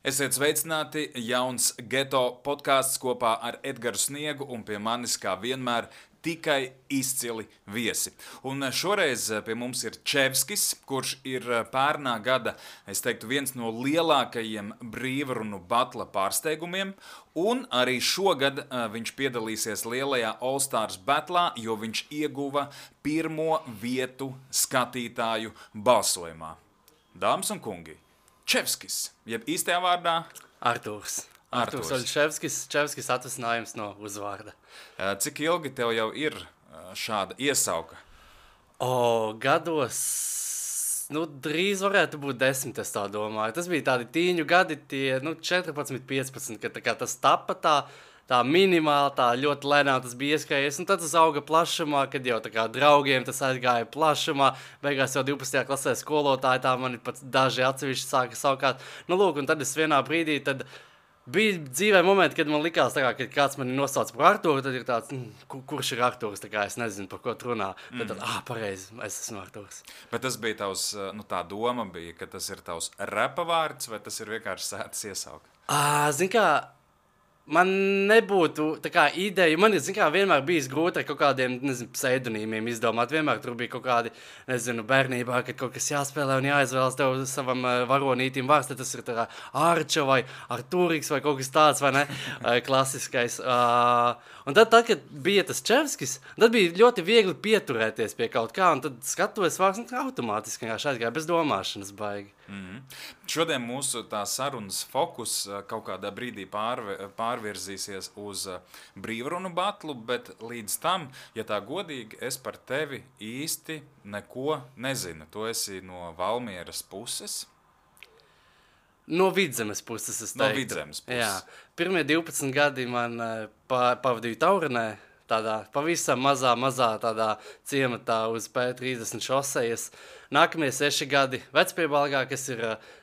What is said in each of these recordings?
Esiet sveicināti, jauns geto podkāsts kopā ar Edgars Sniegu un pie manis, kā vienmēr, tikai izcili viesi. Un šoreiz pie mums ir Čevskis, kurš ir pērnā gada, es teiktu, viens no lielākajiem brīvrunu batla pārsteigumiem, un arī šogad viņš piedalīsies lielajā All Stars batlā, jo viņš ieguva pirmo vietu skatītāju balsojumā. Dāmas un kungi! Čevskis, jeb īstajā vārdā Artūrs Olševskis atvasinājums no uzvārda. Cik ilgi tev jau ir šāda iesauka? Gados, drīz varētu būt 10, es tā domāju. Tas bija tādi tīņu gadi, tie 14, 15, kad tas tapa tā minimāli, tā ļoti lēnām tas bija ieskrējies, un tad tas auga plašumā, kad jau tā kā draugiem tas aizgāja plašumā, beigās jau 12. klasē skolotāji tā mani pat daži atsevišķi sāka saukāt. Un tad es vienā brīdī, tad bija dzīvē momenti, kad man likās tā kā, kad kāds mani nosauc par Artūru, tad ir tāds, kurš ir Artūrs, tā kā es nezinu, par ko tu runā. Tad, pareizi, es esmu Artūrs. Bet tas bija tavs, tā doma bija, ka tas ir tavs repa vārds, vai tas ir vienkārši sētas iesauka? Zin kā, man nebūtu tā kā ideja, man ir, vienmēr bijis grūti ar kaut kādiem, pseidonīmiem izdomāt. Vienmēr tur bija kaut kādi, bērnībā, kad kaut kas jāspēlē un jāizvēlas tev savam varonītim vārds, tad tas ir tā Arča vai Artūriks vai kaut kas tāds, vai ne, klasiskais. Un tad, kad bija tas Čevskis, tad bija ļoti viegli pieturēties pie kaut kā, un tad skatuves vārds automātiski vienkārši aizgāja bez domāšanas baigi. Šodien mūsu tā sarunas fokus kaut kādā brīdī pārvirzīsies uz brīvrunu batlu, bet līdz tam, ja tā godīgi, es par tevi īsti neko nezinu. Tu esi no Valmieras puses? No Vidzemes puses, es teiktu. No Vidzemes puses. Jā. Pirmie 12 gadi man pavadīju Taurinē, tādā pavisam mazā tādā ciematā uz P30 šosejas. Nākamie 6 gadi Vecpiebalgā, kas ir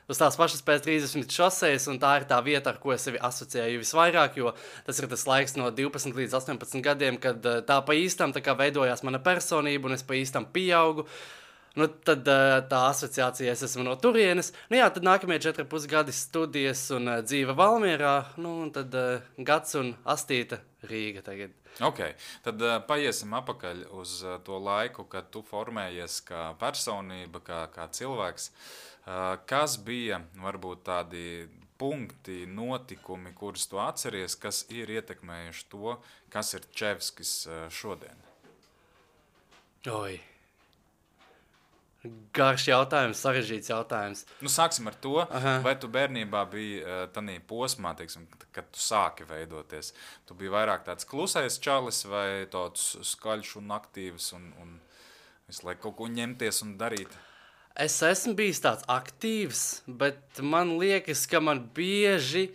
uz tās pašas P30 šosejas, un tā ir tā vieta, ar ko es sevi asociēju visvairāk, jo tas ir tas laiks no 12 līdz 18 gadiem, kad tā pa īstam tā kā veidojās mana personība, un es pa īstam pieaugu. Tad tā asociācija es esmu no turienes. Tad nākamie 4,5 gadi studijas un dzīve Valmierā, un tad gads un astīta Rīga tagad. Ok, tad paiesim apakaļ uz to laiku, kad tu formējies kā personība, kā cilvēks. Kas bija varbūt tādi punkti, notikumi, kurus tu atceries, kas ir ietekmējuši to, kas ir Čevskis šodien? Garš jautājums, sarežģīts jautājums. Sāksim ar to, vai tu bērnībā biji tādā posmā, teiksim, kad tu sāki veidoties. Tu biji vairāk tāds klusais čalis vai tāds skaļš un aktīvs un visu laiku kaut ko ņemties un darīt? Es esmu bijis tāds aktīvs, bet man liekas, ka man bieži...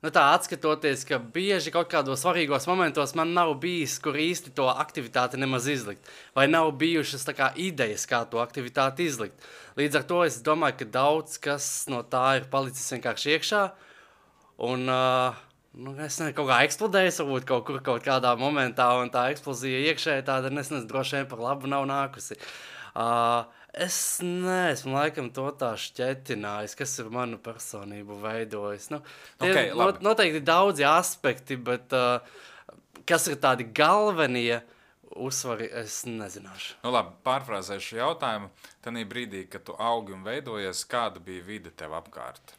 tā atskatoties, ka bieži kaut kādos svarīgos momentos man nav bijis, kur īsti to aktivitāti nemaz izlikt. Vai nav bijušas tā kā idejas, kā to aktivitāti izlikt. Līdz ar to es domāju, ka daudz kas no tā ir palicis vienkārši iekšā. Un, es nezinu, kaut kā eksplodējis, varbūt kaut kādā momentā, un tā eksplozija iekšēji tāda, droši vien par labu nav nākusi. Es neesmu laikam to tā šķetinājis, kas ir manu personību veidojis. Noteikti daudzi aspekti, bet kas ir tādi galvenie uzsvari, es nezināšu. Labi, pārfrāzēšu jautājumu. Tanī brīdī, kad tu augi un veidojies, kāda bija vide tev apkārt?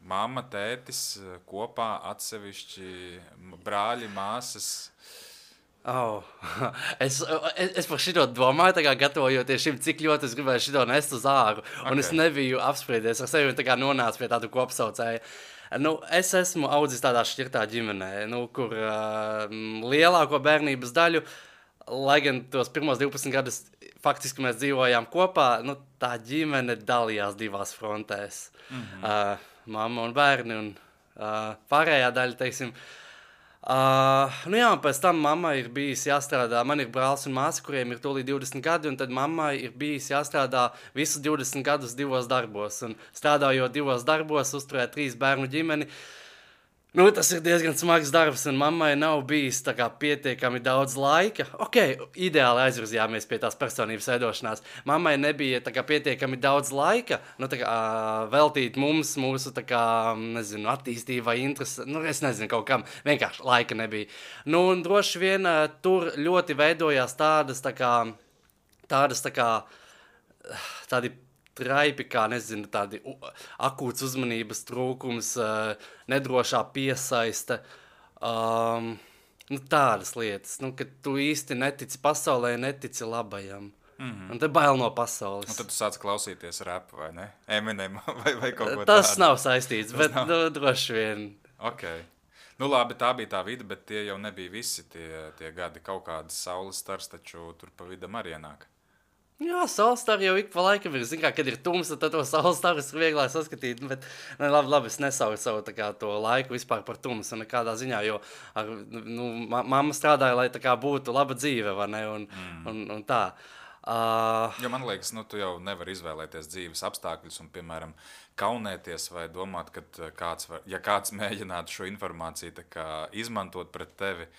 Mamma, tētis, kopā, atsevišķi, brāļi, māsas... Es par šito domāju, tā kā gatavojoties šim, cik ļoti es gribēju šito nest uz āru, un es nebiju apspriedies ar sevi un tā kā nonācu pie tādu kopsaucēju. Es esmu audzis tādā šķirtā ģimenē, kur lielāko bērnības daļu, lai gan tos pirmos 12 gadus faktiski mēs dzīvojām kopā, tā ģimene dalījās divās frontēs. Mamma un bērni un pārējā daļa, teiksim. Un pēc tam mammai ir bijis jāstrādā, man ir brālis un māsa, kuriem ir tūlīt 20 gadi, un tad mammai ir bijis jāstrādā visus 20 gadus 2 darbos, un strādājot 2 darbos, uzturēt 3 bērnu ģimeni, Nu, tas ir diezgan smags darbs, un mammai nav bijis tā kā pietiekami daudz laika. Ok, ideāli aizvirzījāmies pie tās personības veidošanās. Mammai nebija tā kā pietiekami daudz laika, nu, tā kā veltīt mums, mūsu, tā kā, nezinu, attīstībai, interesi, nu, es nezinu, kaut kam, vienkārši laika nebija. Nu, un droši vien tur ļoti veidojās tādi traipi, kā, nezinu, tādi akūts uzmanības trūkums, nedrošā piesaiste, nu, tādas lietas, nu, ka tu īsti netici pasaulē, netici labajam. Un te bail no pasaules. Un tad tu sāc klausīties rapu, vai ne? Eminem vai kaut ko tādu. Tas nav saistīts, bet nu, droši vien. Ok. Nu labi, tā bija tā vide, bet tie jau nebija visi tie gadi. Kaut kādas saules stars, taču tur pa vidam arī ienāk. Jā, saulestāri jau ik pa laikam ir, zin kā, kad ir tumsa, tad to saulestāris ir vieglāk saskatīt, bet labi, es nesaucu savu tā kā to laiku vispār par tumsu nekādā ziņā, jo nu, mamma strādāja, lai tā kā būtu laba dzīve, vai ne, un tā. Jo man liekas, nu tu jau nevar izvēlēties dzīves apstākļus un, piemēram, kaunēties vai domāt, ka kāds mēģinātu šo informāciju tā kā izmantot pret tevi.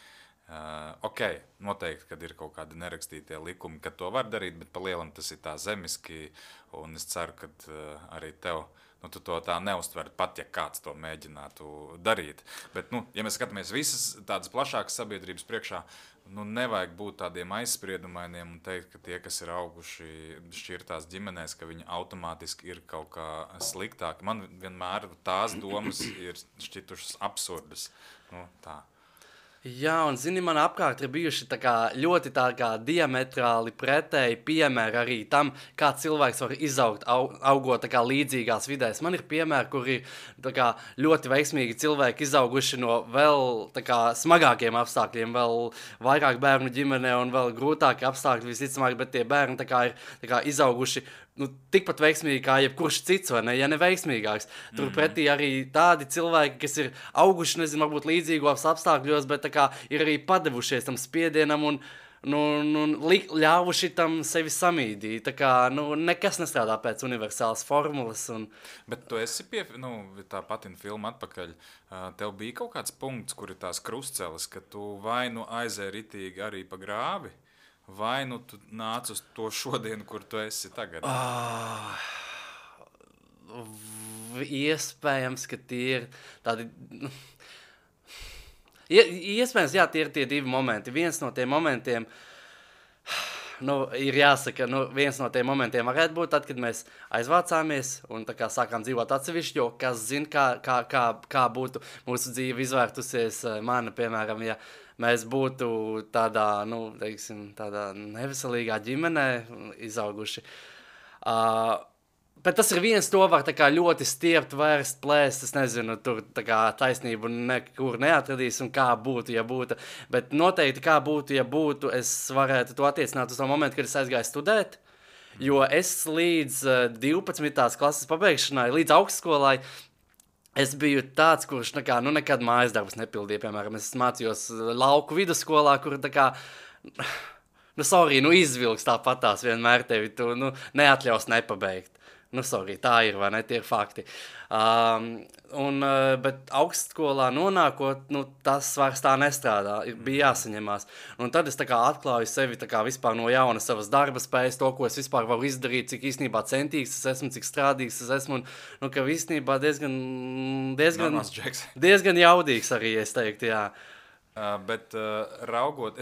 Ok, noteikti, kad ir kaut kādi nerakstītie likumi, ka to var darīt, bet pa lielam tas ir tā zemiski, un es ceru, ka arī tev, nu, tu to tā neuztver pat, ja kāds to mēģinātu darīt. Bet, nu, ja mēs skatāmies visas tādas plašākas sabiedrības priekšā, nu, nevajag būt tādiem aizspriedumainiem un teikt, ka tie, kas ir auguši šķirtās ģimenēs, ka viņi automātiski ir kaut kā sliktāki. Man vienmēr tās domas ir šķitušas absurdas. Nu, tā. Jā, un zini, man apkārt ir bijuši tā kā ļoti tā kā diametrāli pretēji piemēri arī tam, kā cilvēks var izaugt, augot tā kā līdzīgās vidēs. Man ir piemēri, kur ir tā kā ļoti veiksmīgi cilvēki izauguši no vēl tā kā smagākiem apstākļiem, vēl vairāk bērnu ģimenē un vēl grūtāki apstākļi visticamāk, bet tie bērni tā kā ir tā kā izauguši nu, tikpat veiksmīgi kā jebkurš cits, vai ne, ja ne veiksmīgāks. Turpretī arī tādi cilvēki, kas ir auguši, nezinu, varbūt līdzīgos apstākļos, bet tā kā ir arī padevušies tam spiedienam un ļāvuši tam sevi samīdīt. Tā kā, nu, nekas nestrādā pēc universālas formulas. Bet tu esi tā pati filma atpakaļ. Tev bija kaut kāds punkts, kur ir tās krustceles, ka tu vai nu aizēji ritīgi arī pa grāvi, vai nu tu nāc uz to šodienu, kur tu esi tagad? Iespējams, ka tie ir tādi... Iespējams, jā, tie ir tie divi momenti. Viens no tiem momentiem, nu, ir jāsaka, nu, viens no tiem momentiem varētu būt tad, kad mēs aizvācāmies un tā kā sākām dzīvot atsevišķi, jo kas zina, kā būtu mūsu dzīve izvērtusies mana, piemēram, ja mēs būtu tādā, nu, teiksim, tādā neveselīgā ģimenē izauguši. Bet tas ir viens, to var tā kā ļoti stiept, vērst, plēst, es nezinu, tur tā kā taisnību nekur neatradīs un kā būtu, ja būtu. Bet noteikti kā būtu, ja būtu, es varētu to attiecināt uz to momentu, kad es aizgāju studēt, jo es līdz 12. klases pabeigšanai, līdz augstskolai, es biju tāds, kurš nekad mājas darbus nepildīja, piemēram, es mācījos lauku vidusskolā, kur tā kā, izvilks tāpatās vienmēr tevi, tu, neatļaus nepabeigt. Tā ir, vai ne, tie ir fakti. Bet augstskolā nonākot, tas vairs tā nestrādā, bija jāsaņemās. Un tad es tā kā atklāju sevi tā kā vispār no jauna savas darba spējas, to, ko es vispār varu izdarīt, cik īstenībā centīgs es esmu, cik strādīgs es esmu, un ka īstenībā diezgan jaudīgs arī, es teiktu, jā. Bet raugot,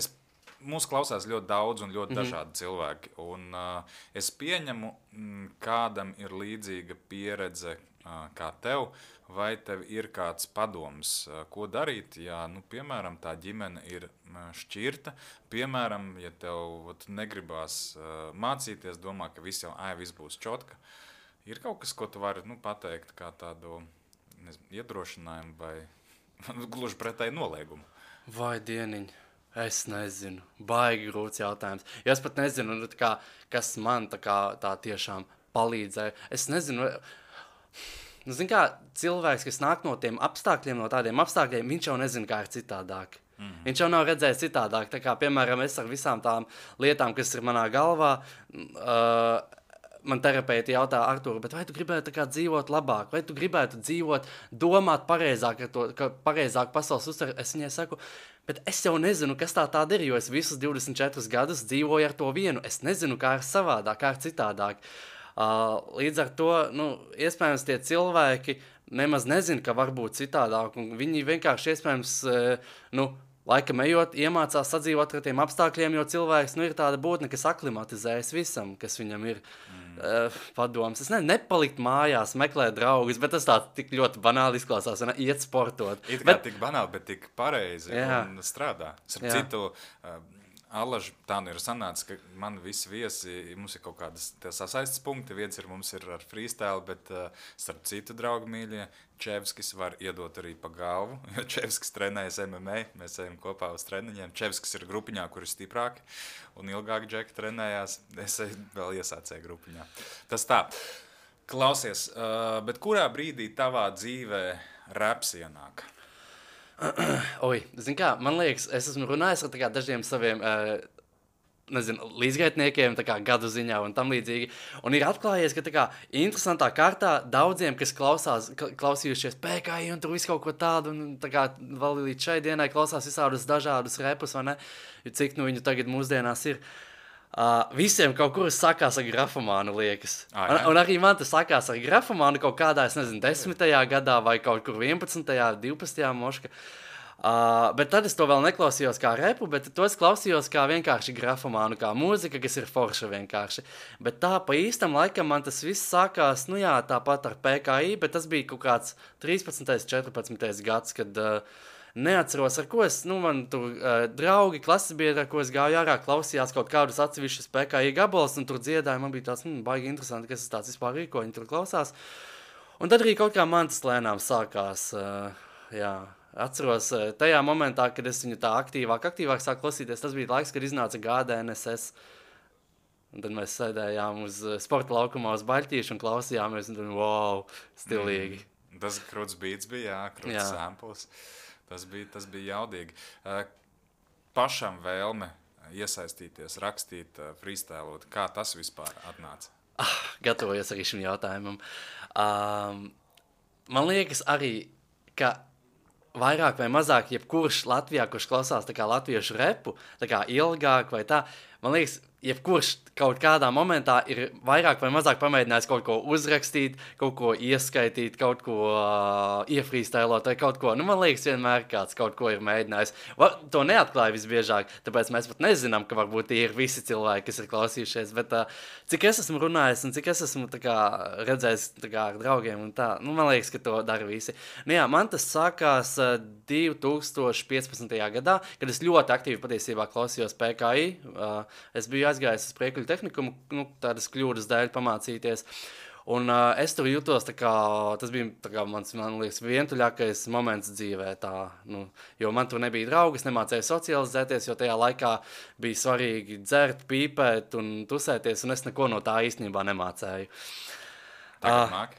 mūs klausās ļoti daudz un ļoti dažādi cilvēki. Un, es pieņemu, kādam ir līdzīga pieredze kā tev, vai tev ir kāds padoms, ko darīt, ja, piemēram, tā ģimene ir šķirta. Piemēram, ja tev negribās mācīties, domā, ka viss būs čotka. Ir kaut kas, ko tu vari pateikt kā tādu iedrošinājumu vai gluži pretēji noliegumu? Vai dieniņ? Es nezinu, baigi grūts jautājums. Jo es pat nezinu, kas man tā tiešām palīdzēja. Es nezinu, zin kā cilvēks, kas nāk no tiem apstākļiem, no tādiem apstākļiem, viņš jau nezina, kā ir citādāk. Viņš jau nav redzējis citādāk. Tā kā, piemēram, es ar visām tām lietām, kas ir manā galvā, man terapeiti jautā, Artūr, bet vai tu gribētu tā kā dzīvot labāk, vai tu gribētu dzīvot, domāt pareizāk, pareizāk pasaules uztver? Es viņai saku, bet es jau nezinu, kas tāda ir, jo es visus 24 gadus dzīvoju ar to vienu. Es nezinu, kā ir savādāk, kā ir citādāk. Līdz ar to, iespējams, tie cilvēki nemaz nezina, ka var būt citādāk, un viņi vienkārši iespējams, laikam ejot, iemācās sadzīvot ar tiem apstākļiem, jo cilvēks ir tāda būtne, kas aklimatizējas visam, kas viņam ir padoms. Es nepalikt mājās, meklēt draugus, bet tas tā tik ļoti banāli izklausās, iet sportot. It kā tik banāli, bet tik pareizi un strādā. Ar citu... Allaž, tā ir sanāca, ka man visi viesi, mums ir kaut kādas sasaistes punkti, viens mums ir ar freestyle, bet starp citu draugu mīļie, Čevskis var iedot arī pa galvu, jo Čevskis trenējas MMA, mēs ejam kopā uz treniņiem, Čevskis ir grupiņā, kur ir stiprāki, un ilgāk Džeki trenējās, es vēl iesācēju grupiņā. Tas tā, klausies, bet kurā brīdī tavā dzīvē raps ienāk? Zini kā, man liekas, es esmu runājis ar dažiem saviem, līdzgaitniekiem, gadu ziņā un tam līdzīgi, un ir atklājies, ka interesantā kārtā daudziem, kas klausījušies PKI un tur visu kaut ko tādu, un vēl līdz šai dienai klausās visādus dažādus repus, vai ne, cik viņu tagad mūsdienās ir. Visiem kaut kur sakās ar grafomānu, liekas. Un arī man tas sakās ar grafomānu kaut kādā, 10. gadā vai kaut kur 11. 12. moška. Bet tad es to vēl neklausījos kā repu, bet to es klausījos kā vienkārši grafomānu, kā mūzika, kas ir forša vienkārši. Bet tā pa īstam laikam man tas viss sākās, tāpat ar PKI, bet tas bija kaut kāds 13. 14. gads, kad... Neatceros, ar ko es, man tur draugi, klases biedri, ar ko es gāju ārā, klausījās kaut kādus atsevišķus PKI gabalus, un tur dziedāja, man bija tāds, baigi interesanti, kas tāds vispār ir, ko viņi tur klausās. Un tad arī kaut kā man tas lēnām sākās, atceros, tajā momentā, kad es viņu tā aktīvāk sāku klausīties, tas bija laiks, kad iznāca GDNSS, un tad mēs sēdējām uz sporta laukumā uz baļķīšu un klausījāmies, un tad, wow, stilīgi. Tas krūts beats bija, krūts samples. Tas bija jaudīgi. Pašam vēlme iesaistīties, rakstīt, freestylot. Kā tas vispār atnāca? Gatavojos arī šim jautājumam. Man liekas arī, ka vairāk vai mazāk jebkurš Latvijā, kurš klausās latviešu repu, ilgāk vai tā, man liekas, jebkurš kaut kādā momentā ir vairāk vai mazāk pamēģinājis kaut ko uzrakstīt, kaut ko ieskaitīt, kaut ko iefrīstēlot vai kaut ko. Man liekas, vienmēr kāds kaut ko ir mēģinājis. To neatklāja visbiežāk, tāpēc mēs pat nezinām, ka varbūt tie ir visi cilvēki, kas ir klausījušies, bet cik es esmu runājis un cik es esmu redzējis ar draugiem un tā, man liekas, ka to dara visi. Man tas sākās 2015. gadā, kad es ļoti aktīvi patiesībā klausījos PKI. Es biju aizgājis uz priekļu tehnikumu, tādas kļūdas dēļ pamācīties. Un es tur jūtos, tas bija man liekas, vientuļākais moments dzīvē. Jo man tur nebija draugi, es nemācēju socializēties, jo tajā laikā bija svarīgi dzert, pīpēt un tusēties, un es neko no tā īstenībā nemācēju. Tagad māki?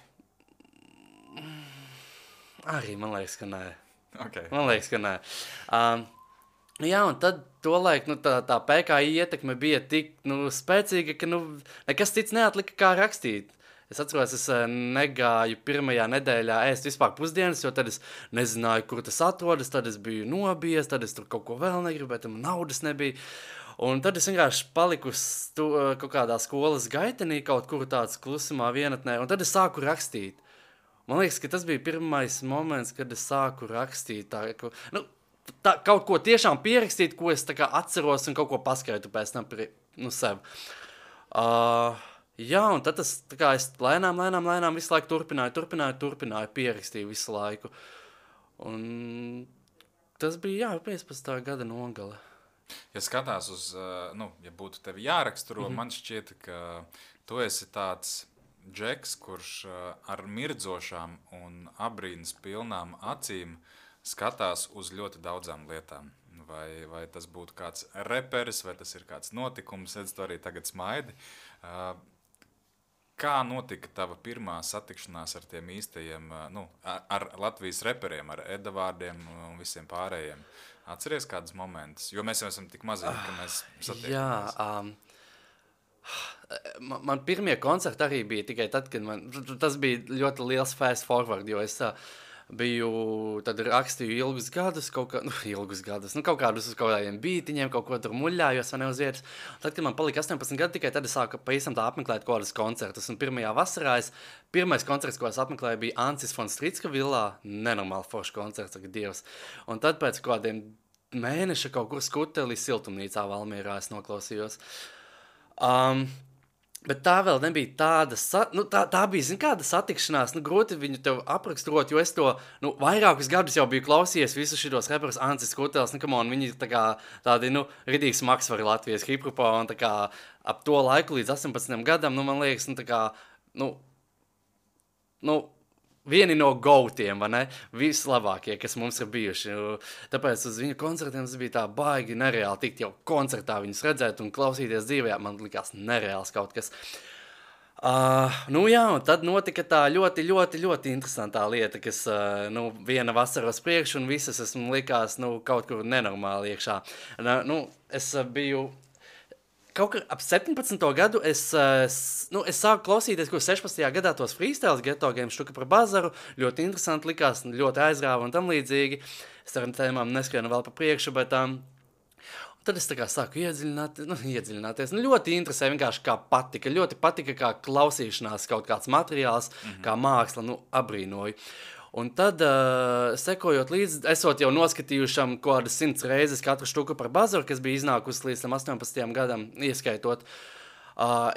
Arī, man liekas, ka nē. Okay. Man liekas, ka nē. Un tad tolaik tā PKI ietekme bija tik spēcīga, ka nekas cits neatlika kā rakstīt. Es atceros, es negāju pirmajā nedēļā ēst vispār pusdienas, jo tad es nezināju, kur tas atrodas, tad es biju nobijies, tad es tur kaut ko vēl negribēju, man naudas nebija. Un tad es vienkārši paliku kaut kādā skolas gaitenī, kaut kur tāds klusumā vienatnē, un tad es sāku rakstīt. Man liekas, ka tas bija pirmais moments, kad es sāku rakstīt kaut ko tiešām pierakstīt, ko es atceros un kaut ko paskaitu pēc tam sev. Un tad es lēnām visu laiku turpināju, pierakstīju visu laiku. Un tas bija, 15. gada nogale. Ja skatās uz, ja būtu tevi jāraksturo, man šķiet, ka tu esi tāds džeks, kurš ar mirdzošām un abrīnas pilnām acīm skatās uz ļoti daudzām lietām. Vai tas būtu kāds reperis, vai tas ir kāds notikums, tu arī tagad smaidi. Kā notika tava pirmā satikšanās ar tiem īstajiem, ar Latvijas reperiem, ar Edavārdiem un visiem pārējiem? Atceries kādus momentus? Jo mēs jau esam tik maziņi, ka mēs satiekamies. Man pirmie koncerti arī bija tikai tad, kad tas bija ļoti liels fast forward, jo es tad rakstīju ilgus gadus, kaut kādus uz kaut kādiem bītiņiem, kaut ko tur muļājos, vai ne uz vietas. Tad, kad man palika 18 gadi, tikai tad es sāku pavisam tā apmeklēt kaut kādus koncertus. Un pirmajā vasarā pirmais koncerts, ko es apmeklēju, bija Ancis von Stritska villā, nenormāli foršs koncerts, saka Dievs. Un tad pēc kaut kādiem mēneša kaut kur Skuteli siltumnīcā Valmierā es noklausījos. Bet tā vēl nebija tāda, tā bija, zin, kāda satikšanās, grūti viņu tev apraksturot, jo es to, vairākus gadus jau biju klausījies visus šitos reperus Ancis Skutels, viņi ir tādi, ridīgi smagsvari Latvijas hiphopā, un tā kā ap to laiku līdz 18 gadam, man liekas, vieni no gautiem, vai ne? Vislabākie, kas mums ir bijuši. Tāpēc uz viņu koncertiem tas bija tā baigi nereāli tikt jau koncertā viņus redzēt un klausīties dzīvē. Man likās nereāls kaut kas. Un tad notika tā ļoti, ļoti, ļoti interesantā lieta, kas viena vasara uz priekšu un visas esmu likās kaut kur nenormāli iekšā. Es biju... Kaut kā ap 17. gadu es sāku klausīties, ko 16. gadā tos freestyles Ghetto Games štuka par bazaru. Ļoti interesanti likās, ļoti aizrāva un tam līdzīgi. Es ar tēmām neskrienu vēl pa priekšu, bet tad es tā kā sāku iedziļināties. Ļoti interesē vienkārši kā patika. Ļoti patika kā klausīšanās kaut kāds materiāls, kā māksla, abrīnoju. Un tad, sekojot līdzi, esot jau noskatījušam kaut kādas 100 reizes katru štuku par bazaru, kas bija iznākusi līdz 18. gadam, ieskaitot,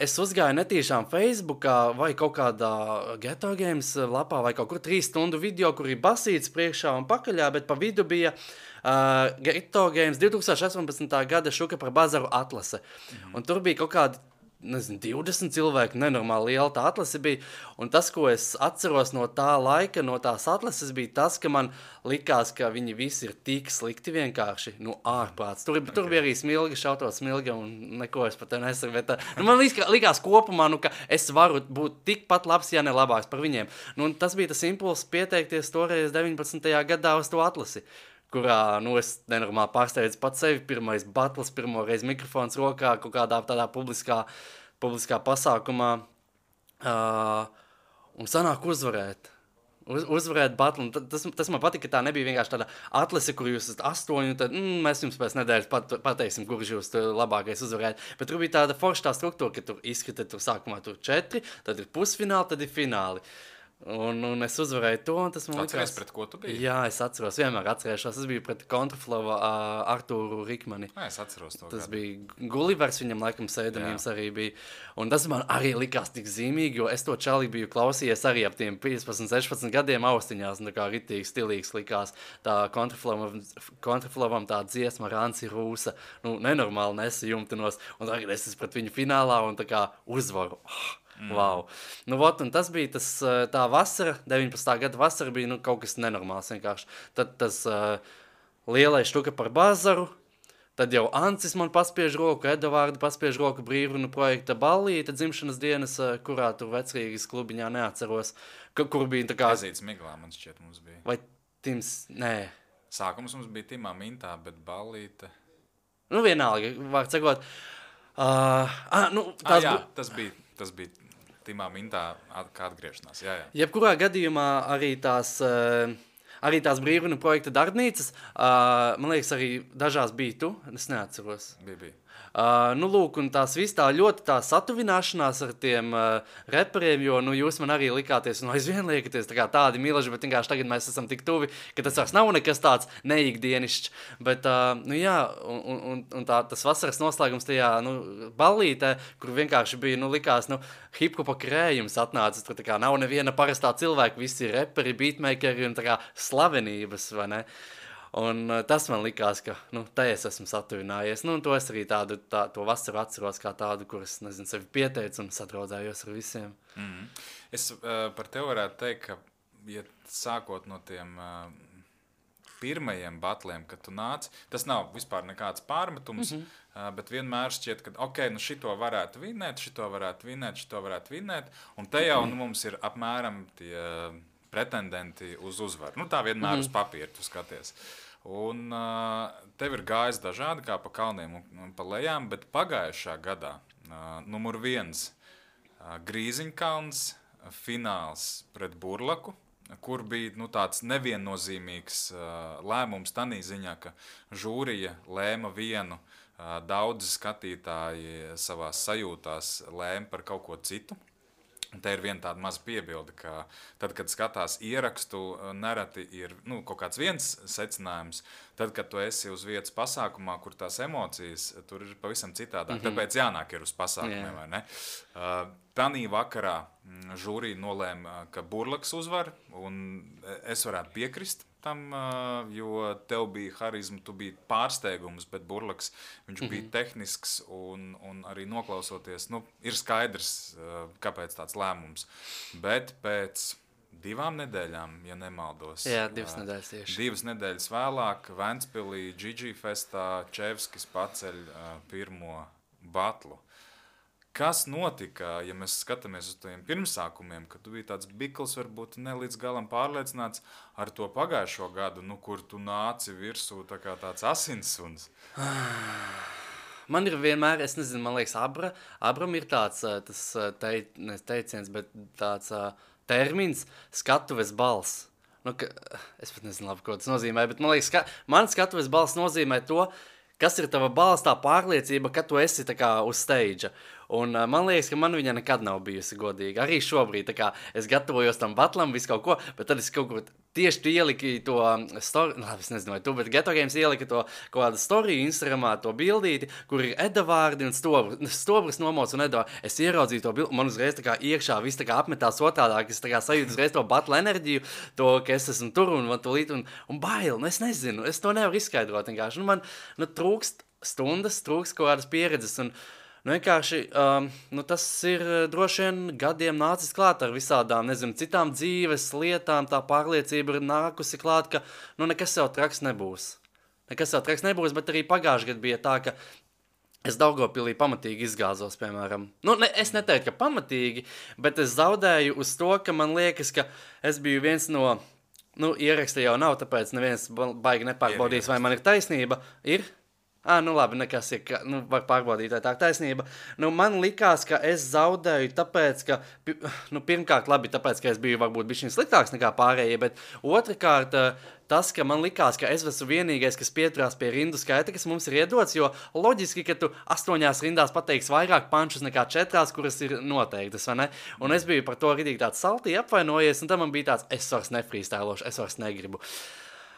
es uzgāju netīšām Facebookā vai kaut kādā Ghetto Games lapā vai kaut kur 3 stundu video, kur ir basīts priekšā un pakaļā, bet pa vidu bija Ghetto Games 2018. gada štuka par bazaru atlase. Un tur bija kaut kādi 20 cilvēku, nenormāli liela tā atlase bija, un tas, ko es atceros no tā laika, no tās atlases, bija tas, ka man likās, ka viņi visi ir tik slikti vienkārši, ārprāts. Tur bija arī Smilga, šautot Smilga, un neko es pat nesaku, bet man likās kopumā, ka es varu būt tikpat labs, ja ne labāks par viņiem. Tas bija tas impulss pieteikties toreiz 19. gadā uz to atlasi, kurā, es nenormāli pārsteidzu pats sevi, pirmais battles, pirmoreiz mikrofons rokā, kaut kādā tādā publiskā pasākumā, un sanāk uzvarēt. Uzvarēt battle, un tas man patika, ka tā nebija vienkārši tāda atlase, kur jūs esat 8, un tad mēs jums pēc nedēļas pateiksim, kurš jūs labākais uzvarēt. Bet tur bija tāda forša struktūra, ka tur izskata, tur sākumā tur 4, tad ir pusfināli, tad ir fināli. Un es uzvarēju to, un tas man likās... Atceries, pret ko tu biji? Jā, es atceros, vienmēr atcerēšos. Es biju pret Kontraflovu Artūru Rikmani. Es atceros to. Tas bija Gullivers, viņam laikam sēdamības arī bija. Un tas man arī likās tik zīmīgi, jo es to čali biju klausījies arī ap tiem 15, 16 gadiem austiņās, un tā kā ritīgi stilīgs likās. Tā Kontraflovam tā dziesma Ranci Rūsa, nenormāli nesajumtinos, un tagad es esmu pret viņu finālā un tā kā uzvaru. Wow. Un tas bija tā vasara, 19. gada vasara bija kaut kas nenormāls vienkārši. Tad tas lielais štuka par bazaru, tad jau Ancis man paspiež roku, Edovārda paspiež roku brīvrunu projekta Ballīta dzimšanas dienas, kurā tur Vecrīgas klubiņā neatceros, kur bija tā kā... Ezīts Miglā, man šķiet, mums bija. Vai Tims, nē. Sākums mums bija Timā Mintā, bet Ballīta... Vienalga, vārds sakot. Tas bija Timā Mintā kā atgriešanās, jā. Jebkurā gadījumā arī tās brīvrunu projekta darbnīcas, man liekas, arī dažās bija tu, es neatceros. Bija. Lūk, un tās viss tā ļoti tā satuvināšanās ar tiem reperiem, jo, jūs man arī likāties, un aizvien liekaties tā kā tādi milaži, bet vienkārši tagad mēs esam tik tuvi, ka tas vairs nav nekas tāds neikdienišķs, bet, un tas vasaras noslēgums tajā, ballītē, kur vienkārši bija, likās, hip-hopa krējums atnācis, tur tā kā nav neviena parastā cilvēka, visi ir reperi, beatmakeri un tā kā slavenības, vai ne? Un tas man likās, ka, te es esmu satuvinājies. Un to es arī to vasaru atceros kā tādu, kur es, sevi pieteicu un sadraudzējos ar visiem. Es par tevi varētu teikt, ka, ja sākot no tiem pirmajiem batliem, kad tu nāc, tas nav vispār nekāds pārmetums, bet vienmēr šķiet, ka, šito varētu vinēt, un te jau mums ir apmēram tie... pretendenti uz uzvaru. Tā vienmēr uz papīra tu skaties. Un tev ir gājis dažādi kā pa kalniem un pa lejām, bet pagājušā gadā Numur 1 Grīziņkalns, fināls pret Burlaku, kur bija tāds neviennozīmīgs lēmums tādā ziņā, ka žūrija lēma vienu, daudzi skatītāji savās sajūtās lēma par kaut ko citu. Te ir viena tāda maza piebilde, ka tad, kad skatās ierakstu, nereti ir kaut kāds viens secinājums. Tad, kad tu esi uz vietas pasākumā, kur tās emocijas, tur ir pavisam citādāk. Tāpēc jānāk ir uz pasākumiem, vai ne? Tanī vakarā žūrija nolēma, ka Burlaks uzvar, un es varētu piekrist tam, jo tev bija harizma, tu biji pārsteigums, bet Burlaks, viņš bija tehnisks un arī noklausoties, ir skaidrs, kāpēc tāds lēmums. Bet pēc 2 nedēļām, ja nemaldos. Jā, 2 nedēļas tieši. 2 nedēļas vēlāk Ventspilī Gigi Festā Čevskis paceļ pirmo batlu. Kas notika, ja mēs skatāmies uz tiem pirmsākumiem, kad tu biji tāds bikls, varbūt ne līdz galam pārliecināts ar to pagājušo gadu, kur tu nāci virsū tā kā tāds asinssuns? Man ir vienmēr, es nezinu, man liekas, Abram ir tāds teiciens, bet tāds termins skatuves balss. Es pat nezinu labi, ko tas nozīmē, bet man liekas, man skatuves balss nozīmē to, kas ir tava balss, tā pārliecība, ka tu esi tā kā uz stage. Un man liekas, ka man viņa nekad nav bijusi godīga. Arī šobrīd, tā kā es gatavojos tam batlam, visu kaut ko, bet tad es kaut ko tieši tu ieliki to story, es nezinu, vai tu, bet Geto Games ielika to kaut kādu storiju Instagramā, to bildīti, kur ir Edavārdi un Stobris nomots un Edavārdi. Es ieraudzīju to bildi, man uzreiz tā kā iekšā viss tā kā apmetās otādāk, es tā kā sajūtu uzreiz to batla enerģiju, to, ka es esmu tur un bail, es nezinu, es to nevaru izskaidrot vienkārši. Man trūkst stundas, trūkst kaut kādas pieredzes un vienkārši tas ir droši vien gadiem nācis klāt ar visādām, nezinu, citām dzīves lietām, tā pārliecība ir nākusi klāt, ka nekas jau traks nebūs. Nekas jau traks nebūs, bet arī pagājuši gadu bija tā, ka es Daugavpilī pamatīgi izgāzos, piemēram. Es neteiktu, ka pamatīgi, bet es zaudēju uz to, ka man liekas, ka es biju viens no, ieraksta jau nav, tāpēc neviens baigi nepārbaudīs, vai man ir taisnība. Ir? Labi, nekas ir, var pārbaudīt, vai tā taisnība. Man likās, ka es zaudēju tāpēc, ka, pirmkārt, labi, tāpēc, ka es biju varbūt bišķiņ sliktāks nekā pārējie, bet otrkārt, tas, ka man likās, ka es esmu vienīgais, kas pieturās pie rindu skaita, kas mums ir iedots, jo loģiski, ka tu 8 rindās pateiksi vairāk pančus nekā 4, kuras ir noteiktas, vai ne? Un es biju par to ridīgi tāds saltī apvainojies, un tad man bija tāds, es vairs nefreestylošu, es vairs negribu.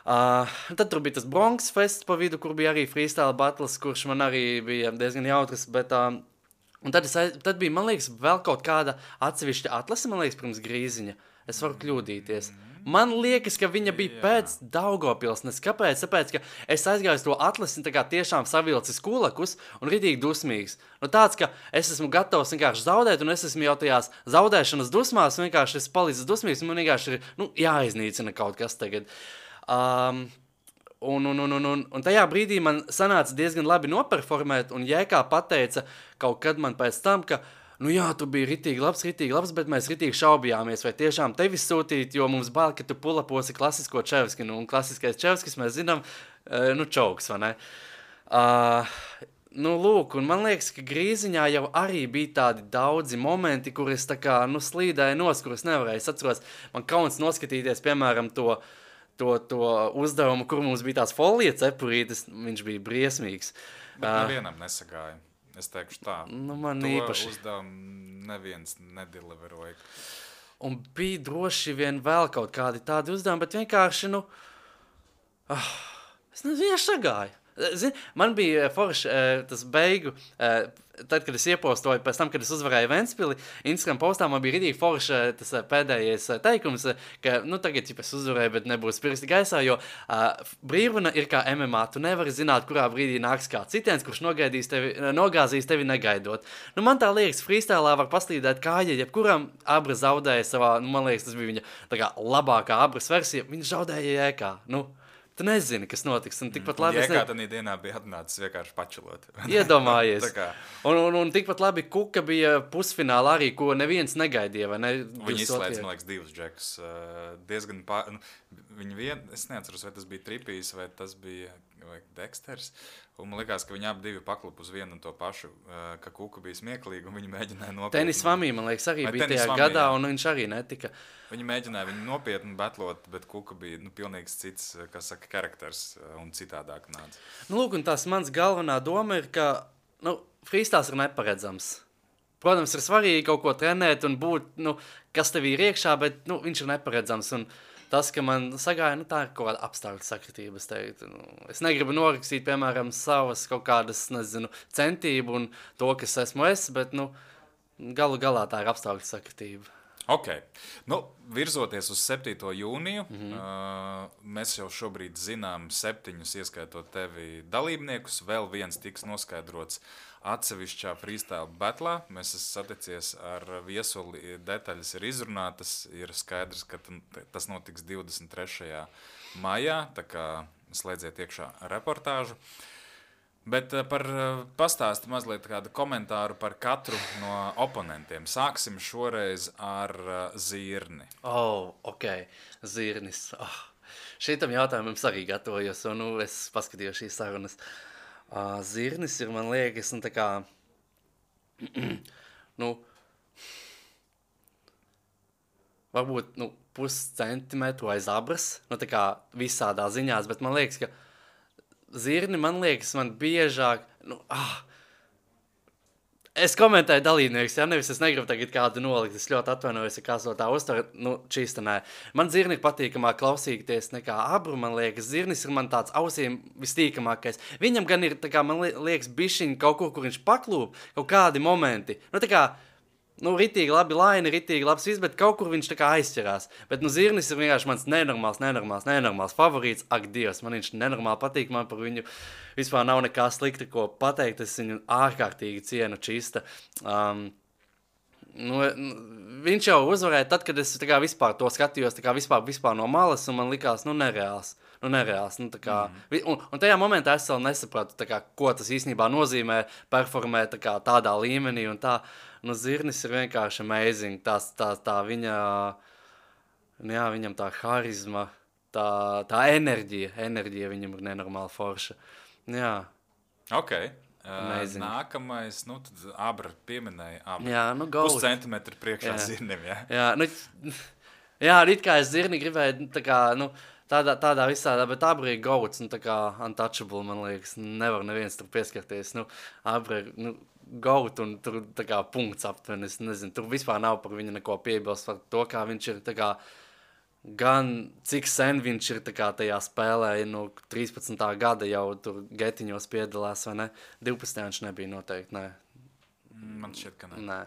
Tad tur bija tas Bronx Fest pa vidu, kur bija arī freestyle battles, kurš man arī bija diezgan jautrs, bet un tad bija, man liekas, vēl kaut kāda atsevišķa atlase, man liekas, pirms Grīziņa. Es varu kļūdīties. Man liekas, ka viņa bija pēc Daugavpils, kāpēc? Tāpēc, ka es aizgāju to atlasi tā kā tiešām savilcis kulakus un ridīgi dusmīgs. Tāds, ka es esmu gatavs vienkārši zaudēt, un es esmu jau tajās zaudēšanas dusmās, un vienkārši es palicis dusmīgs, un man vienkārši ir, jāiznīcina kaut kas tagad. Un tajā brīdī man sanāca diezgan labi noperformēt, un Jēkā pateica kaut kad man pēc tam, ka, tu biji ritīgi labs, bet mēs ritīgi šaubījāmies, vai tiešām tevi sūtīt, jo mums bail, ka tu pulaposi klasisko Čevski, un klasiskais Čevskis mēs zinām, čauks, vai ne? Lūk, un man liekas, ka Grīziņā jau arī bija tādi daudzi momenti, kur es tā kā, slīdēju nos, kur es nevarēju. Es atceros, man kauns noskatīties, piemēram, to uzdevumu, kur mums bija tās folija cepurītes, viņš bija briesmīgs. Bet nevienam nesagāja, es teikšu tā. Man to īpaši. Uzdevumu neviens nedeliveroja. Un bija droši vien vēl kaut kādi tādi uzdevumi, bet vienkārši, es nezinu, vienkārši sagāju. Zini, man bija forši tas beigu, tad, kad es iepostoju, pēc tam, kad es uzvarēju Ventspili, Instagram postā man bija ridīgi forši tas pēdējais teikums, ka, tagad, ja es uzvarēju, bet nebūs pirksti gaisā, jo brīvruna ir kā MMA, tu nevari zināt, kurā brīdī nāks kā citiens, kurš nogāzīs tevi negaidot. Man tā liekas, freestylā var paslīdēt kāja, jebkuram Abra zaudēja savā, man liekas, tas bija viņa tā kā labākā Abras versija, viņa zaudēja Jēkā, Tu nezini, kas notiks. Un tikpat labi. Jēkā tādā dienā bija atnācis vienkārši pačilot. Iedomājies. un tikpat labi Kuka bija pusfinālā arī, ko neviens negaidīja. Vai ne? Viņi izslēdz, man liekas, 2 džekus. Diezgan es neatceros, vai tas bija Tripijs, vai tas bija vai Dexters. Un man likās, ka viņi abi divi paklupa uz vienu un to pašu, ka Kuka bija smieklīgi un viņi mēģināja nopietni. Tenis Vamī, man liekas, arī Vai bija Tenis tajā Vamī, gadā, jā. un viņš arī netika. Viņi mēģināja viņu nopietni betlot, bet Kuka bija pilnīgs cits, kā saka, karakters un citādāk nāca. Lūk, un tās mans galvenā doma ir, ka freestāls ir neparedzams. Protams, ir svarīgi kaut ko trenēt un būt, kas tev ir iekšā, bet viņš ir neparedzams. Un tas, ka man sagāja, tā ir kaut kāda apstākļu sakritība, es teiktu. Es negribu norakstīt, piemēram, savas kaut kādas, centību un to, kas esmu es, bet, galu galā tā ir apstākļu sakritība. Ok. Virzoties uz 7. jūniju, mēs jau šobrīd zinām 7, ieskaitot tevi dalībniekus, vēl viens tiks noskaidrots atsevišķā freestyle battlā. Mēs esam saticies ar viesuli, detaļas ir izrunātas, ir skaidrs, ka tas notiks 23. maijā, tā kā slēdziet iekšā reportāžu. Bet pastāsti mazliet kādu komentāru par katru no oponentiem. Sāksim šoreiz ar Zirni. Ok, Zirnis. Šitam jautājumam es arī gatavojos, un es paskatījos šīs sarunas. Zirnis ir, man liekas, tā kā, varbūt, puscentimetru aiz abras, tā kā visādā ziņās, bet man liekas, ka Zirni, man biežāk, es komentēju dalībniekus, nevis es negribu tagad kādu nolikt, es ļoti atvainojos, ja kāds no tā uztver, čīsta nē. Man Zirni ir patīkamāk klausīties nekā Abru, man liekas, Zirnis ir man tāds ausīm vistīkamākais. Viņam gan ir, tā kā, man liekas, bišķiņ kaut kur viņš paklūp, kaut kādi momenti, tā kā, ritīgi labi laini, ritīgi labs viss, bet kaut kur viņš tā kā aizķerās. Bet, Zirnis ir vienkārši mans nenormāls favorīts. Ak, Dievs, man viņš nenormāli patīk, man par viņu vispār nav nekā slikta, ko pateikt. Es viņu ārkārtīgi cienu čista. Viņš jau uzvarēja tad, kad es tā kā vispār to skatījos, tā kā vispār no malas, un man likās, nereāls. Tā kā, un tajā momentā es vēl nesapratu, tā kā, ko tas īstenībā nozīmē performēt tā kā tādā līmenī un tā. Zirnis ir vienkārši amazing, tā viņa, viņam tā harizma, tā enerģija viņam ir nenormāli forša. Jā. Ok. Amazing. Nākamais, tad Abra pieminēja Abra. Jā, goat. Puscentimetru priekšā Zirnim, jā? Jā, it kā es Zirni gribēju, tā kā, tādā visādā, bet Abra ir goats, tā kā untouchable, man liekas, nevar neviens tur pieskarties, Abra ir, goat un tur tā kā punkts aptuveni, es nezinu, tur vispār nav par viņu neko piebilst par to, kā viņš ir tā kā, gan cik sen viņš ir tā kā tajā spēlē, 13. gada jau tur getiņos piedalās, vai ne? 12. viņš nebija noteikti, nē. Man šķiet, ka nē.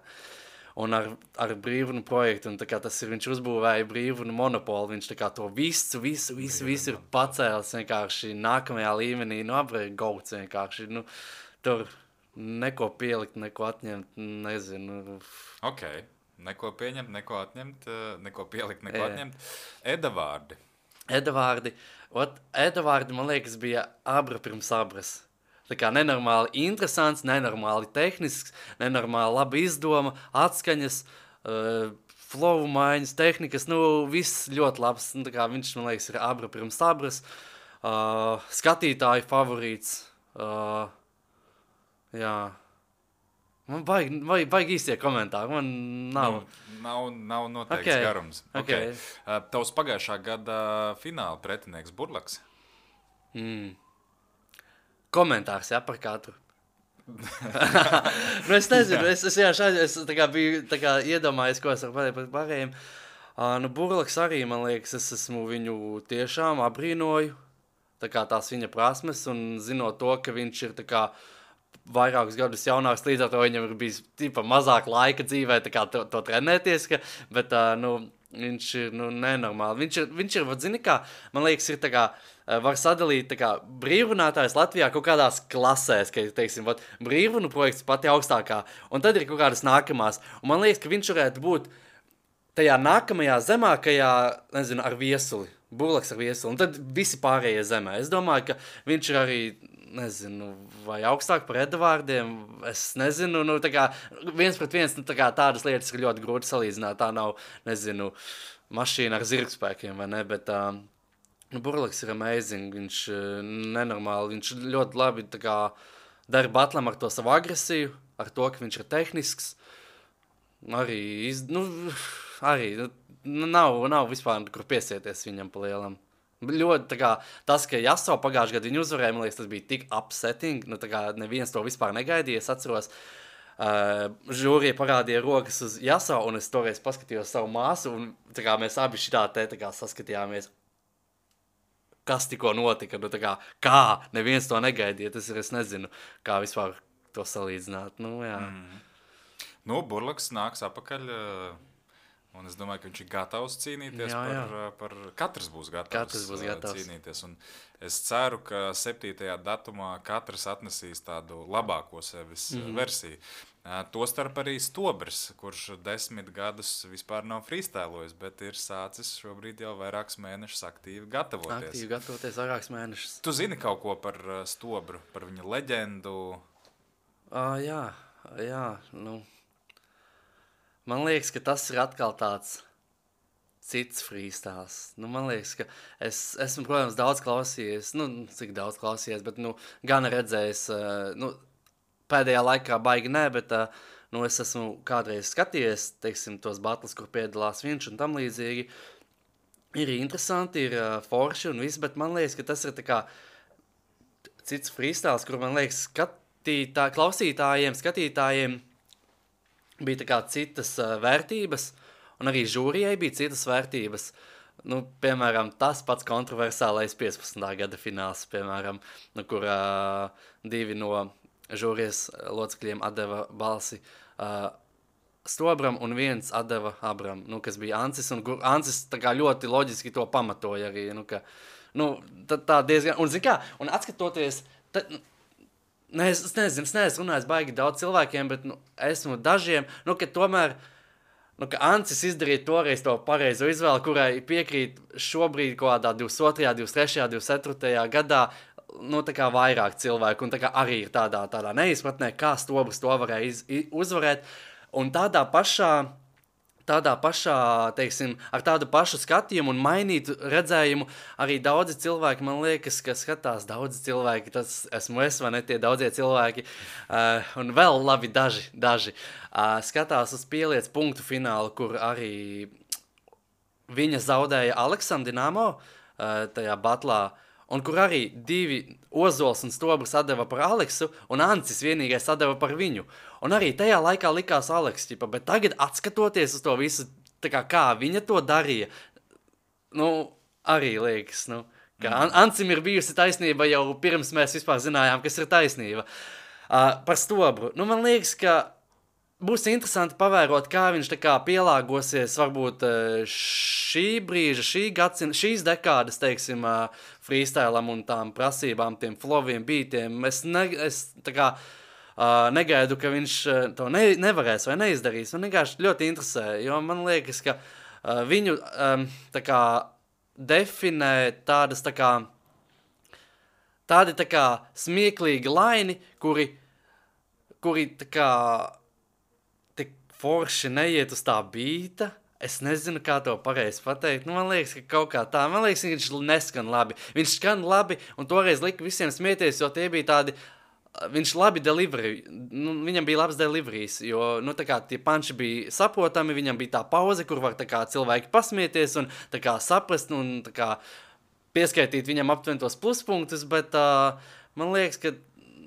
Un ar brīvunu projektu, un tā kā tas ir, viņš uzbūvēja brīvunu monopolu, viņš tā kā to visu ir pacēlis vienkārši nākamajā līmenī, Abra ir goats vienkārši, tur neko pielikt, neko atņemt, nezinu. Ok, neko pieņemt, neko atņemt, neko pielikt, neko atņemt. Edavārdi. Edavārdi, man liekas, bija Abra pirms Abras. Tā kā nenormāli interesants, nenormāli tehnisks, nenormāli labi izdoma, atskaņas, flow maiņas, tehnikas, viss ļoti labs. Tā kā viņš, man liekas, ir Abra pirms Abras. Skatītāju favorīts. Jā. Man vajag īstie komentāri, man nav. Nav noteikts garums. Okay. Tavs pagājušā gada fināla pretinieks Burlaks? Komentārs, par katru. Es nezinu, es tā kā biju tā kā iedomājies, ko es varu pateikt par pārējiem. Burlaks arī, man liekas, es esmu viņu tiešām abrīnoju, tā kā tās viņa prasmes, un zinot to, ka viņš ir tā kā vairākus gadus jaunāks, līdz ar to viņam ir bijis mazāk laika dzīvē tā kā to trenēties, bet viņš ir nenormāli. Viņš ir, zini kā, man liekas, ir tā kā, var sadalīt tā kā brīvrunātājs Latvijā kaut kādās klasēs, ka, teiksim, brīvrunu projekts pati augstākā, un tad ir kaut kādas nākamās. Un man liekas, ka viņš varētu būt tajā nākamajā zemākajā, nezinu, ar viesuli. Burlaks ar viesuli, un tad visi pārējie zemē. Es domāju, ka viņš ir arī, nezinu, vai augstāk par Edavārdiem, es nezinu, tā kā viens pret viens, tā kā tādas lietas ir ļoti grūti salīdzināt, tā nav, nezinu, mašīna ar zirgspēkiem, vai ne, bet Burlaks ir amazing, viņš nenormāli, viņš ļoti labi tā kā dara batlam ar to savu agresiju, ar to, ka viņš ir tehnisks. Arī, nav vispār kur piesieties viņam pa lielam. Ļoti tā kā tas, ka Jaso pagājušajā gadā viņu uzvarēja, man liekas, tas bija tik upsetting, tā kā neviens to vispār negaidīja, es atceros. Žūrija parādīja rokas uz Jaso, un es toreiz paskatījos savu māsu, un tā kā mēs abi šitā te tā kā saskatījāmies. Kas tikko notika, kā neviens to negaidīja, es nezinu, kā vispār to salīdzināt, jā. Burlaks nāks apakaļ, un es domāju, ka viņš ir gatavs cīnīties par katrs būs gatavs cīnīties, un es ceru, ka 7. datumā katrs atnesīs tādu labāko sevis versiju. Tostarp arī Stobrs, kurš 10 gadus vispār nav freestylojis, bet ir sācis šobrīd jau vairākus mēnešus aktīvi gatavoties. Aktīvi gatavoties vairākus mēnešus. Tu zini kaut ko par Stobru, par viņa leģendu? Jā, man liekas, ka tas ir atkal tāds cits freestyles. Man liekas, ka esmu, protams, daudz klausījies, cik daudz klausījies, bet, gan redzējis, pēdējā laikā baigi nē, bet es esmu kādreiz skatījies, teiksim, tos battles, kur piedalās viņš un tam līdzīgi. Ir interesanti, ir forši un viss, bet man liekas, ka tas ir tā kā cits freestyles, kur man liekas klausītājiem, skatītājiem bija tā kā citas vērtības, un arī žūrijai bija citas vērtības. Piemēram, tas pats kontroversālais 15. gada fināls, piemēram, kur 2 no žūrijas locekļiem atdeva balsi Stobram un 1 atdeva Abram, kas bija Ancis, un Ancis tā kā ļoti loģiski to pamatoja arī, tā diezgan, un zin kā, un atskatoties, es neesmu runājis baigi daudz cilvēkiem, bet esmu dažiem, ka tomēr, ka Ancis izdarīja toreiz to pareizo izvēli, kurai piekrīt šobrīd kaut kādā 22., 23., 24. gadā, tā kā vairāk cilvēku, un tā kā arī ir tādā neizpratnē, kā Stobrs to varēja uzvarēt, un tādā pašā, teiksim, ar tādu pašu skatījumu un mainītu redzējumu arī daudzi cilvēki, man liekas, ka skatās daudzi cilvēki, tas esmu es, vai ne, tie daudzie cilvēki, un vēl labi daži skatās uz Pieliec punktu finālu, kur arī viņa zaudēja Aleksam Dinamo tajā batlā, un kur arī 2 Ozols un Stobrs atdeva par Aleksu, un Ancis vienīgais atdeva par viņu. Un arī tajā laikā likās Aleks, bet tagad atskatoties uz to visu, kā viņa to darīja, arī liekas, ka Ancim ir bijusi taisnība jau pirms mēs vispār zinājām, kas ir taisnība. Par Stobru. Man liekas, ka būs interesanti pavērot, kā viņš pielāgosies varbūt šī brīža, šīs dekādas, teiksim, freestylam un tām prasībām, tiem flowiem, beatiem. Es negaidu, ka viņš to nevarēs vai neizdarīs. Man vienkārši ļoti interesē, jo man liekas, ka viņu definē tādi smieklīgi laini, kuri tik forši neiet uz tā bīta. Es nezinu, kā to pareizi pateikt. Man liekas, ka kaut kā tā. Man liekas, ka viņš neskan labi. Viņš skan labi, un toreiz lika visiem smieties, jo tie bija tādi. Viņš labi delivery. Viņam bija labs deliveries, jo tie panči bija saprotami, viņam bija tā pauze, kur var cilvēki pasmieties un saprast un pieskaitīt viņam aptuveni tos pluspunktus, bet man liekas, ka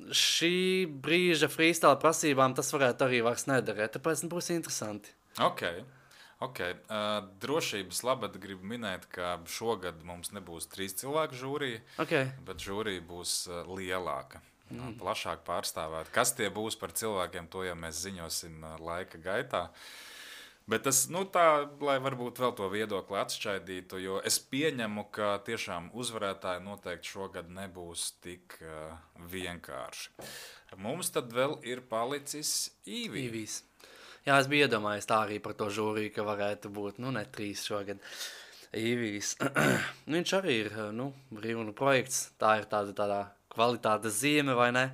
šī brīža freestyle prasībām tas varētu arī vairs nedarēt, tāpēc būs interesanti. Ok. Drošības labad gribu minēt, ka šogad mums nebūs 3 cilvēku žūrija, bet žūrija būs lielāka, plašāk pārstāvēt. Kas tie būs par cilvēkiem, to jau mēs ziņosim laika gaitā. Bet tas, tā, lai varbūt vēl to viedokli atšķaidītu, jo es pieņemu, ka tiešām uzvarētāji noteikti šogad nebūs tik vienkārši. Mums tad vēl ir palicis Īvijs. Jā, es biju iedomājies tā arī par to žūriju, ka varētu būt, ne 3 šogad. Īvijs. Viņš arī ir, brīvunu projekts, tā ir tāda kvalitātes zīme, vai ne?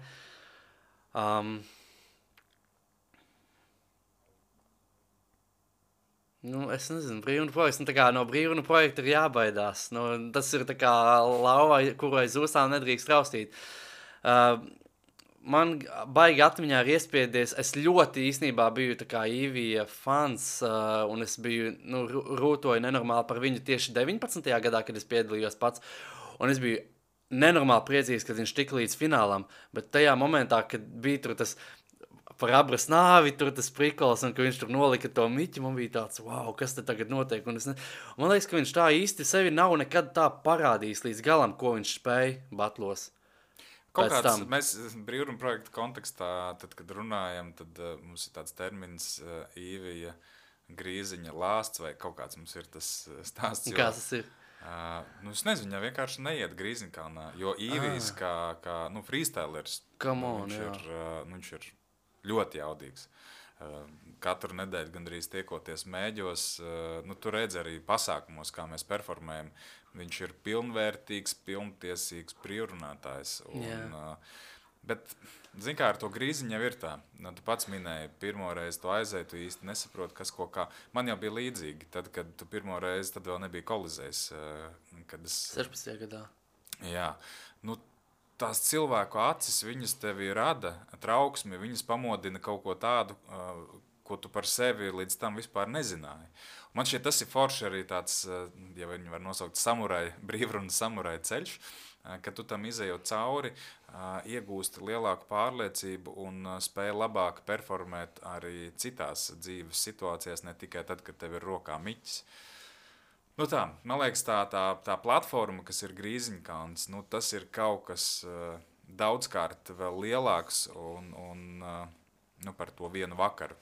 Nu, es nezinu, brīvuma projekts, tā kā no brīvuma projekta ir jābaidās. Nu, tas ir tā kā lauva, kuru aiz ūsām nedrīkst raustīt. Man baigi atmiņā ir iespiedies, es ļoti īstenībā biju tā kā Īvija fans, un es biju, rūtoju nenormāli par viņu tieši 19. gadā, kad es piedalījos pats, un es biju nenormāli priecīgs, kad viņš tika līdz finālam, bet tajā momentā, kad bija tur tas par Abras nāvi, tur tas prikols, un ka viņš tur nolika to miķi, man bija tāds, wow, kas te tagad notiek, un man liekas, ka viņš tā īsti sevi nav nekad tā parādījis līdz galam, ko viņš spēja batlos. Kaut kāds, mēs brīvuma projekta kontekstā, tad, kad runājam, tad mums ir tāds termins Īvija Grīziņa lāsts, vai kaut kāds mums ir tas stāsts. Kāds tas ir? Es nezinu, viņa vienkārši neiet Grīziņkalnā, jo Īvijas kā freestylers, viņš ir ļoti jaudīgs. Katru nedēļu gandrīz tiekoties mēģos, tu redzi arī pasākumos, kā mēs performējam, viņš ir pilnvērtīgs, pilntiesīgs prierunātājs. Bet, zin kā, ar to Grīziņu jau ir tā. Tu pats minēji, pirmo reizi tu aizēji, tu īsti nesaproti, kas ko kā. Man jau bija līdzīgi, tad, kad tu pirmo reizi, tad vēl nebija Kolizejs. 16. gadā. Jā, tās cilvēku acis, viņas tevi rada trauksmi, viņas pamodina kaut ko tādu, ko tu par sevi līdz tam vispār nezināji. Man šķiet, tas ir forši arī tāds, ja viņi var nosaukt brīvrunas samurai ceļš, ka tu tam izejot cauri, iegūsti lielāku pārliecību un spēj labāk performēt arī citās dzīves situācijās, ne tikai tad, kad tev ir rokā miķis. Man liekas, tā platforma, kas ir Grīziņkalns, tas ir kaut kas daudzkārt vēl lielāks un par to vienu vakaru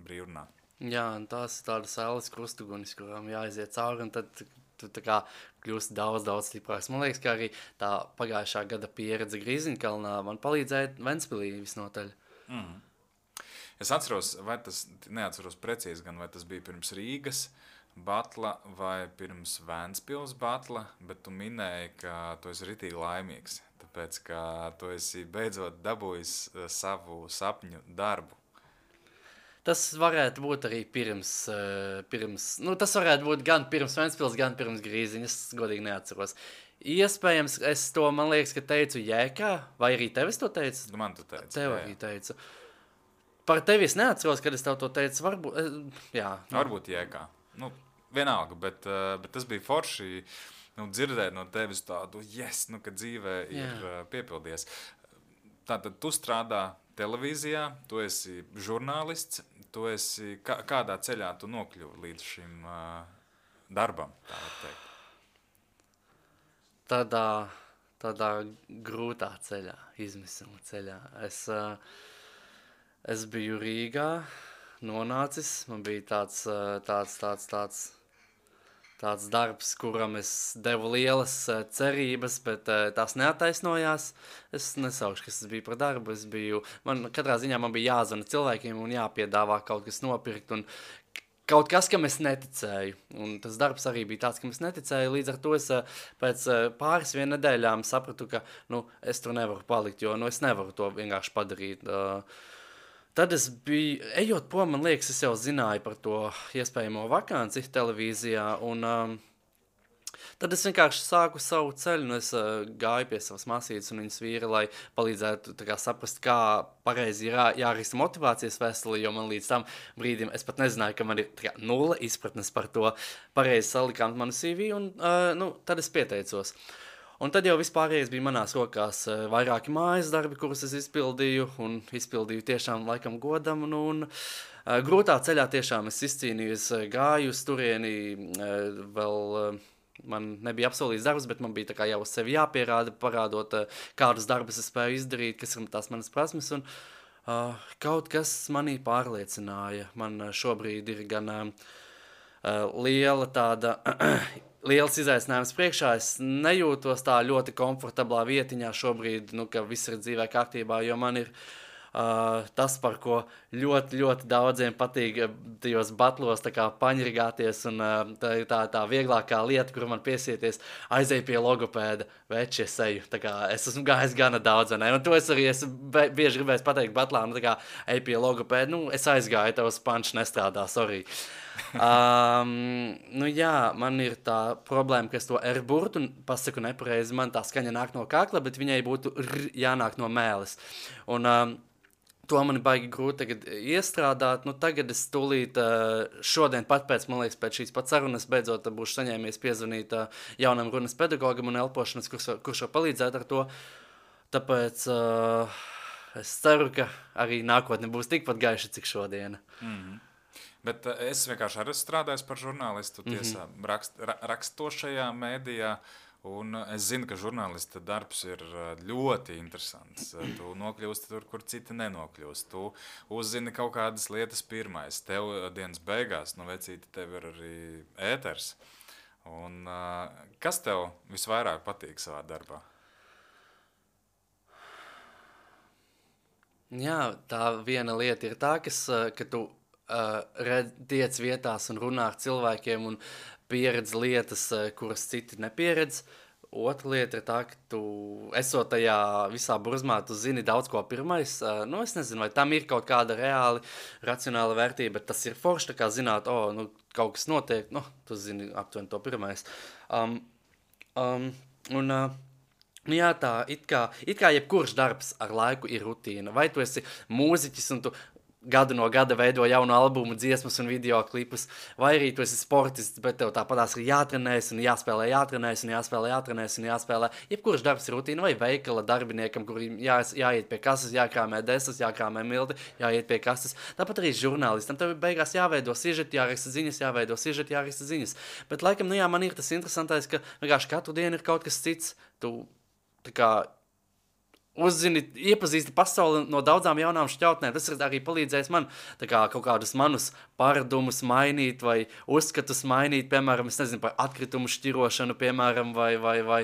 brīvrunā. Jā, un tās ir tādas ēlas krustugunis, kurām jāiziet cauri, un tad tu tā kā kļūsti daudz stiprāks. Man liekas, ka arī tā pagājušā gada pieredze Grīziņkalnā man palīdzēja Ventspilī visnotaļ. Es atceros, neatceros precīzi gan, vai tas bija pirms Rīgas batla vai pirms Ventspils batla, bet tu minēji, ka tu esi ritīgi laimīgs, tāpēc, ka tu esi beidzot dabūjis savu sapņu darbu. Tas varētu būt arī pirms tas varētu būt gan pirms Ventspils, gan pirms Grīziņas, es godīgi neatceros. Iespējams, es to, man liekas, ka teicu Jēkā, vai arī tevis to teicu? Man to teicu. Tev arī teicu. Par tevi es neatceros, kad es tev to teicu, varbūt, jā. Varbūt Jēkā. Vienalga, bet tas bija forši dzirdēt no tevis tādu, ka dzīvē ir piepildies. Tātad tu strādā televīzijā, tu esi žurnālists, tu esi, kādā ceļā tu nokļuvi līdz šim darbam, tā var teikt? Tādā grūtā ceļā, izmisuma ceļā. Es biju Rīgā, nonācis, man bija tāds darbs, kuram es devu lielas cerības, bet tās neataisnojās. Es nesaušu, kas tas bija par darbu. Katrā ziņā man bija jāzvana cilvēkiem un jāpiedāvā kaut kas nopirkt un kaut kas, kam es neticēju. Un tas darbs arī bija tāds, kam es neticēju. Līdz ar to es pēc pāris nedēļām sapratu, ka es tur nevaru palikt, jo es nevaru to vienkārši padarīt. Tad es biju, ejot prom, man liekas, es jau zināju par to iespējamo vakanci televīzijā, un tad es vienkārši sāku savu ceļu, un es gāju pie savas māsītes un viņas vīra, lai palīdzētu saprast, kā pareizi ir jārista motivācijas vēstuli, jo man līdz tam brīdim es pat nezināju, ka man ir nulle izpratnes par to pareizi salikām manu CV, un tad es pieteicos. Un tad jau vispārējais bija manās rokās vairāki mājas darbi, kurus es izpildīju, un izpildīju tiešām laikam godam, un grūtā ceļā tiešām es izcīnīju, es gāju uz turieni, vēl man nebija apsolīts darbs, bet man bija tā kā jau uz sevi jāpierāda, parādot, kādus darbus es spēju izdarīt, kas ir tās manas prasmes, un kaut kas manī pārliecināja. Man šobrīd ir gan liels izaicinājums priekšā. Es nejūtos tā ļoti komfortablā vietiņā šobrīd, ka viss ir dzīvē kārtībā, jo man ir tas, par ko ļoti, ļoti daudziem patīk tajos batlos paņirgāties, un tā ir tā vieglākā lieta, kur man piesieties, aizēju pie logopēda, veči es eju. Es esmu gājis gana daudz, un to es arī bieži gribēju pateikt batlā, ej pie logopēda, es aizgāju, tavs pančs nestrādā, sorry. Nu jā, man ir tā problēma, ka es to R burtu pasaku nepareizi. Man tā skaņa nāk no kakla, bet viņai būtu jānāk no mēles. Un to man ir baigi grūti tagad iestrādāt. Nu, tagad es tūlīt šodien pat pēc šīs pats sarunas beidzot būšu saņēmies piezvanīt jaunam runas pedagogam un elpošanas, kurš var palīdzēt ar to. Tāpēc es ceru, ka arī nākotne būs tikpat gaiša, cik šodiena. Bet es vienkārši arī strādāju par žurnālistu tiesā, rakstošajā mēdījā, un es zinu, ka žurnālista darbs ir ļoti interesants. Tu nokļūsti tur, kur citi nenokļūst. Tu uzzini kaut kādas lietas pirmais. Tev dienas beigās, vecīti, tev ir arī ēters. Un kas tev visvairāk patīk savā darbā? Jā, tā viena lieta ir tā, ka tu tiec vietās un runā ar cilvēkiem un pieredz lietas, kuras citi nepieredz. Otra lieta ir tā, ka tu esot tajā visā burzmā, tu zini daudz ko pirmais. Es nezinu, vai tam ir kaut kāda reāli racionāla vērtība, bet tas ir forši, tā kā zināt, kaut kas notiek, tu zini aptuveni to pirmais. Jā, tā it kā jebkurš darbs ar laiku ir rutīna. Vai tu esi mūziķis un tu gadu no gada veido jaunu albumu, dziesmas un video klipus, vai arī tu esi sportists, bet tev tāpatās ir jātrenējas un jāspēlē. Jebkurš darbs ir rutīna, vai veikala darbiniekam, kuriem jāiet pie kases, jākrāmē desas, jākrāmē milti, jāiet pie kases. Tāpat arī žurnālistam. Tev beigās jāveido sižeti, jāraksta ziņas. Bet laikam, man ir tas interesantais, ka vienkārši katru dienu ir kaut kas cits. Tu tā kā uzzini, iepazīsti pasauli no daudzām jaunām šķautnēm. Tas ir arī palīdzējis man kaut kādus manus paradumus mainīt vai uzskatus mainīt, piemēram, es nezinu, par atkritumu šķirošanu, piemēram, vai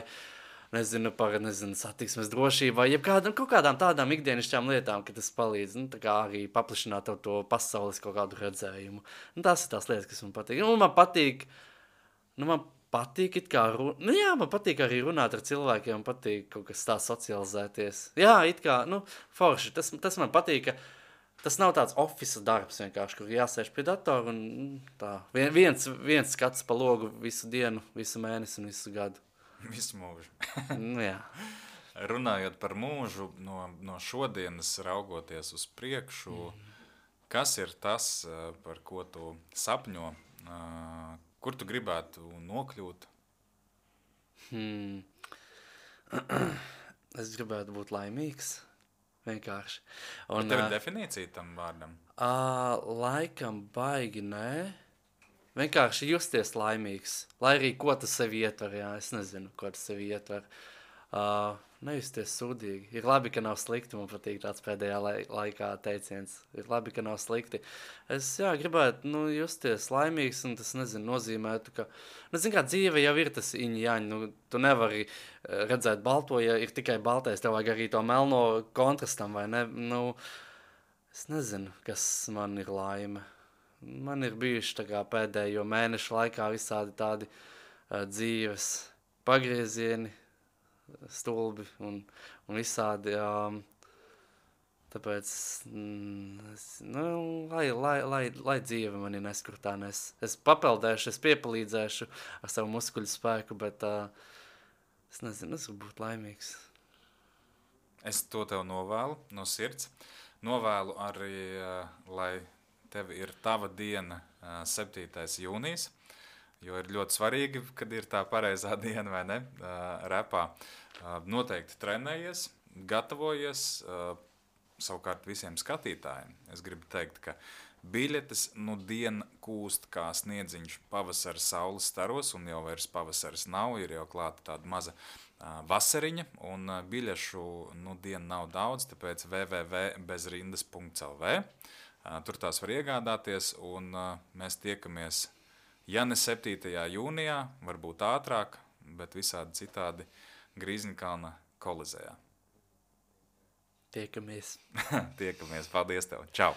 nezinu, par satiksmes drošību, vai kaut kādām tādām ikdienišķām lietām, ka tas palīdz, tā kā arī paplašināt to pasaules kaut kādu redzējumu. Tas ir tās lietas, kas man patīk. Man patīk man patīk arī runāt ar cilvēkiem, man patīk kaut kas tā socializēties. Jā, forši. Tas man patīk, ka tas nav tāds office darbs vienkārši, kur jāsēž pie datora un tā. Viens skats pa logu visu dienu, visu mēnesi un visu gadu. Visu mūžu. Jā. Runājot par mūžu, no šodienas raugoties uz priekšu, kas ir tas, par ko tu sapņo, kur tu gribētu nokļūt? Es gribētu būt laimīgs, vienkārši. Un tev ir definīcija tam vārdam? Laikam baigi, nē. Vienkārši justies laimīgs. Lai arī ko tas sevi ietver, es nezinu, ko tas sevi ietver. Nejusties sūdīgi. Ir labi, ka nav slikti, man patīk tāds pēdējā laikā teiciens. Ir labi, ka nav slikti. Es, gribētu, justies laimīgs, un tas, nozīmētu, ka, kā dzīve jau ir tas iņ-jaņ, tu nevari redzēt balto, ja ir tikai baltais, tev vajag arī to melno kontrastam, vai ne? Es nezinu, kas man ir laime. Man ir bijuši tā kā pēdējo mēnešu laikā visādi tādi dzīves pagriezieni, stulbi un visādi, tāpēc, lai dzīve mani neskurtā, es papeldēšu, es piepalīdzēšu ar savu muskuļu spēku, bet es nezinu, es gribu būt laimīgs. Es to tev novēlu no sirds. Novēlu arī, lai tev ir tava diena 7. jūnijas, jo ir ļoti svarīgi, kad ir tā pareizā diena, vai ne, repā. Noteikti trenējies, gatavojies, savukārt visiem skatītājiem. Es gribu teikt, ka biļetes diena kūst kā sniedziņš pavasara saules staros, un jau vairs pavasaris nav, ir jau klāta tāda maza vasariņa, un biļešu diena nav daudz, tāpēc www.bezrindas.lv. Tur tās var iegādāties, un mēs tiekamies, ja ne 7. jūnijā, varbūt ātrāk, bet visādi citādi Grīziņkalna kolizejā. Tiekamies. Tiekamies. Paldies tev. Čau.